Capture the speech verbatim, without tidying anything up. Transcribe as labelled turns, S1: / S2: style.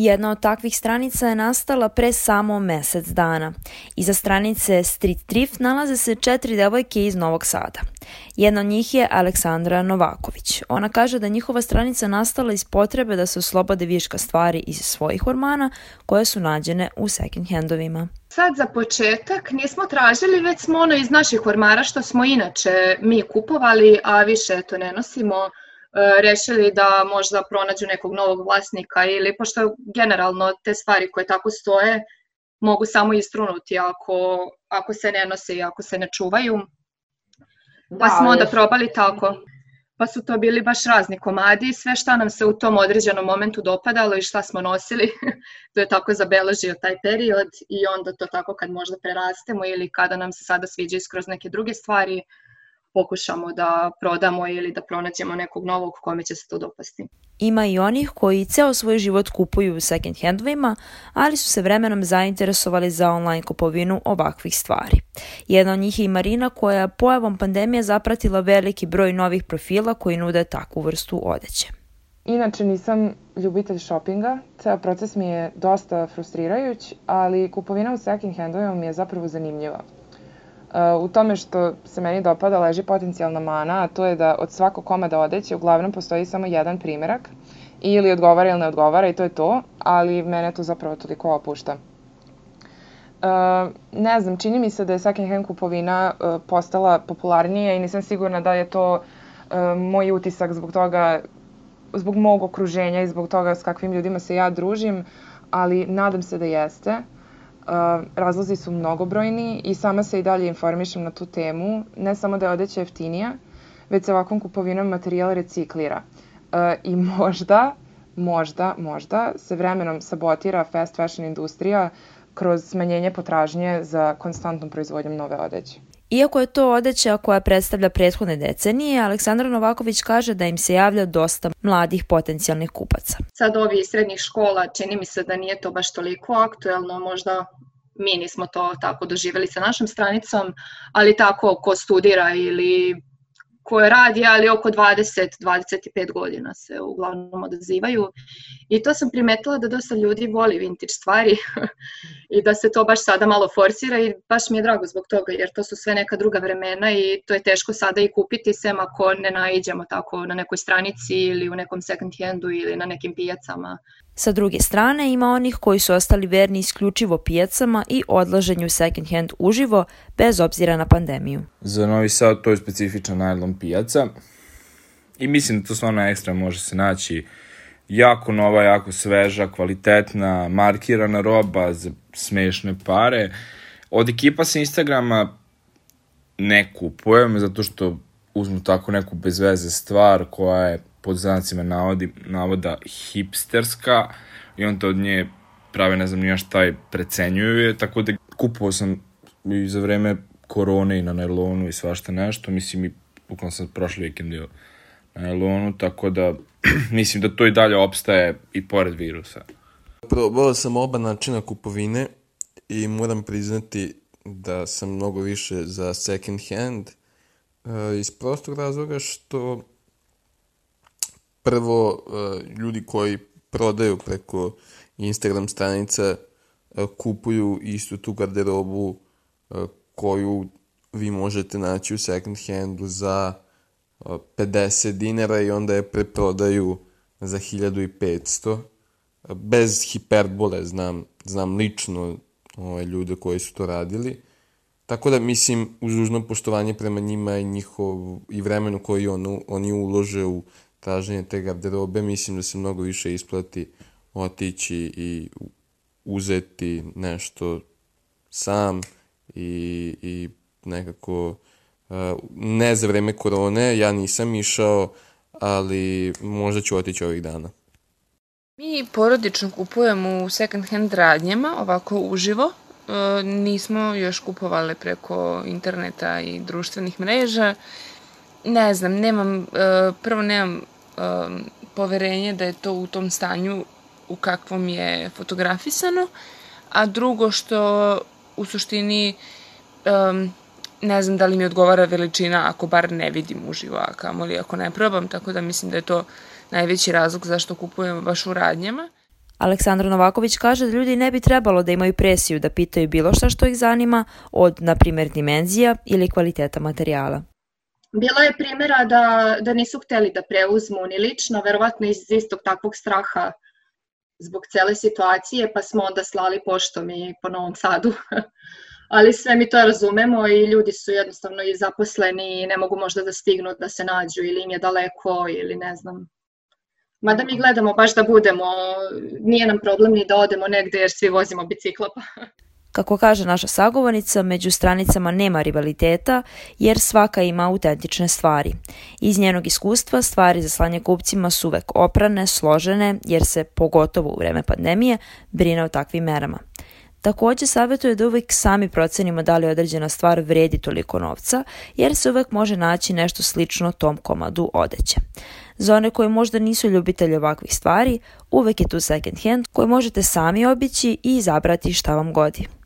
S1: Jedna od takvih stranica je nastala pre samo mesec dana. Iza stranice Street Thrift nalaze se četiri devojke iz Novog Sada. Jedna od njih je Aleksandra Novaković. Ona kaže da njihova stranica nastala iz potrebe da se oslobode viška stvari iz svojih ormana koje su nađene u second handovima.
S2: Sad za početak nismo tražili, već smo ono iz naših ormara što smo inače mi kupovali, a više to ne nosimo, rešili da možda pronađu nekog novog vlasnika ili pošto generalno te stvari koje tako stoje mogu samo istrunuti ako, ako se ne nose i ako se ne čuvaju. Pa da, smo onda je... probali tako. Pa su to bili baš razni komadi, sve šta nam se u tom određenom momentu dopadalo i šta smo nosili, to je tako zabeležio taj period i onda to tako kad možda prerastemo ili kada nam se sada sviđa skroz neke druge stvari, pokušamo da prodamo ili da pronađemo nekog novog kome će se to dopasti.
S1: Ima i onih koji ceo svoj život kupuju u second handovima, ali su se vremenom zainteresovali za online kupovinu ovakvih stvari. Jedna od njih je i Marina koja je pojavom pandemije zapratila veliki broj novih profila koji nude takvu vrstu odeće.
S3: Inače nisam ljubitelj šopinga, ceo proces mi je dosta frustrirajuć, ali kupovina u second handovima mi je zapravo zanimljiva. U tome što se meni dopada leži potencijalna mana, a to je da od svakog komada odeće uglavnom postoji samo jedan primerak, ili odgovara ili ne odgovara i to je to, ali mene to zapravo toliko opušta. Ne znam, čini mi se da je second hand kupovina postala popularnija i nisam sigurna da je to moj utisak zbog toga, zbog mog okruženja i zbog toga s kakvim ljudima se ja družim, ali nadam se da jeste. Uh, razlozi su mnogobrojni i sama se i dalje informišem na tu temu. Ne samo da je odeća jeftinija, već se ovakvom kupovinom materijal reciklira. Uh, I možda, možda, možda se vremenom sabotira fast fashion industrija kroz smanjenje potražnje za konstantnom proizvodnjom nove odeće.
S1: Iako je to odeća koja predstavlja prethodne decenije, Aleksandra Novaković kaže da im se javlja dosta mladih potencijalnih kupaca.
S2: Sad ovi iz srednjih škola čini mi se da nije to baš toliko aktuelno, možda mi nismo to tako doživjeli sa našom stranicom, ali tako ko studira ili ko radi, ali oko dvadeset do dvadeset pet godina se uglavnom odazivaju. I to sam primetila da dosta ljudi voli vintage stvari i da se to baš sada malo forsira i baš mi je drago zbog toga jer to su sve neka druga vremena i to je teško sada i kupiti sem ako ne naiđemo tako na nekoj stranici ili u nekom second handu ili na nekim pijacama.
S1: Sa druge strane ima onih koji su ostali verni isključivo pijacama i odlaženju second hand uživo bez obzira na pandemiju.
S4: Za Novi Sad to je specifičan najlon pijaca i mislim da to stvarno ekstra može se naći jako nova, jako sveža, kvalitetna, markirana roba za smešne pare. Od ekipa sa Instagrama ne kupujem zato što uzmu tako neku bezveze stvar koja je pod znacima navodi, navoda hipsterska i on to od nje prave ne znam nija šta je precenjuju je, tako da kupovao sam i za vreme korone i na nailonu i svašta nešto, mislim i bukvalno sam prošli vikend bio na nailonu, tako da mislim da to i dalje opstaje i pored virusa.
S5: Probao sam oba načina kupovine i moram priznati da sam mnogo više za second hand iz prostog razloga što prvo, ljudi koji prodaju preko Instagram stranica kupuju istu tu garderobu koju vi možete naći u second handu za pedeset dinara i onda je preprodaju za hiljadu petsto. Bez hiperbole, znam, znam lično ove ljude koji su to radili. Tako da mislim, uz dužno poštovanje prema njima i, njihov, i vremenu koji on, oni ulože u traženje te garderobe, mislim da se mnogo više isplati otići i uzeti nešto sam i, i nekako ne za vreme korone, ja nisam išao, ali možda ću otići ovih dana.
S6: Mi porodično kupujemo u second hand radnjama, ovako uživo. E, nismo još kupovali preko interneta i društvenih mreža. Ne znam, nemam, e, prvo nemam e, poverenje da je to u tom stanju u kakvom je fotografisano, a drugo što u suštini e, ne znam da li mi odgovara veličina ako bar ne vidim uživo, a kamoli ako ne probam, tako da mislim da je to najveći razlog zašto kupujemo baš u radnjama.
S1: Aleksandra Novaković kaže da ljudi ne bi trebalo da imaju presiju da pitaju bilo šta što ih zanima, od, na primjer, dimenzija ili kvaliteta materijala.
S2: Bilo je primjera da, da nisu hteli da preuzmu ni lično, verovatno iz istog takvog straha zbog cele situacije, pa smo onda slali poštom i po Novom Sadu. Ali sve mi to razumemo i ljudi su jednostavno i zaposleni i ne mogu možda da stignu da se nađu ili im je daleko ili ne znam. Mada mi gledamo baš da budemo, nije nam problem ni da odemo negde jer svi vozimo bicikla.
S1: Kako kaže naša sagovornica, među stranicama nema rivaliteta jer svaka ima autentične stvari. Iz njenog iskustva stvari za slanje kupcima su uvek oprane, složene jer se, pogotovo u vreme pandemije, brine o takvim merama. Takođe savjetuje da uvek sami procenimo da li određena stvar vredi toliko novca, jer se uvek može naći nešto slično tom komadu odeće. Za one koji možda nisu ljubitelji ovakvih stvari, uvek je tu second hand koji možete sami obići i izabrati šta vam godi.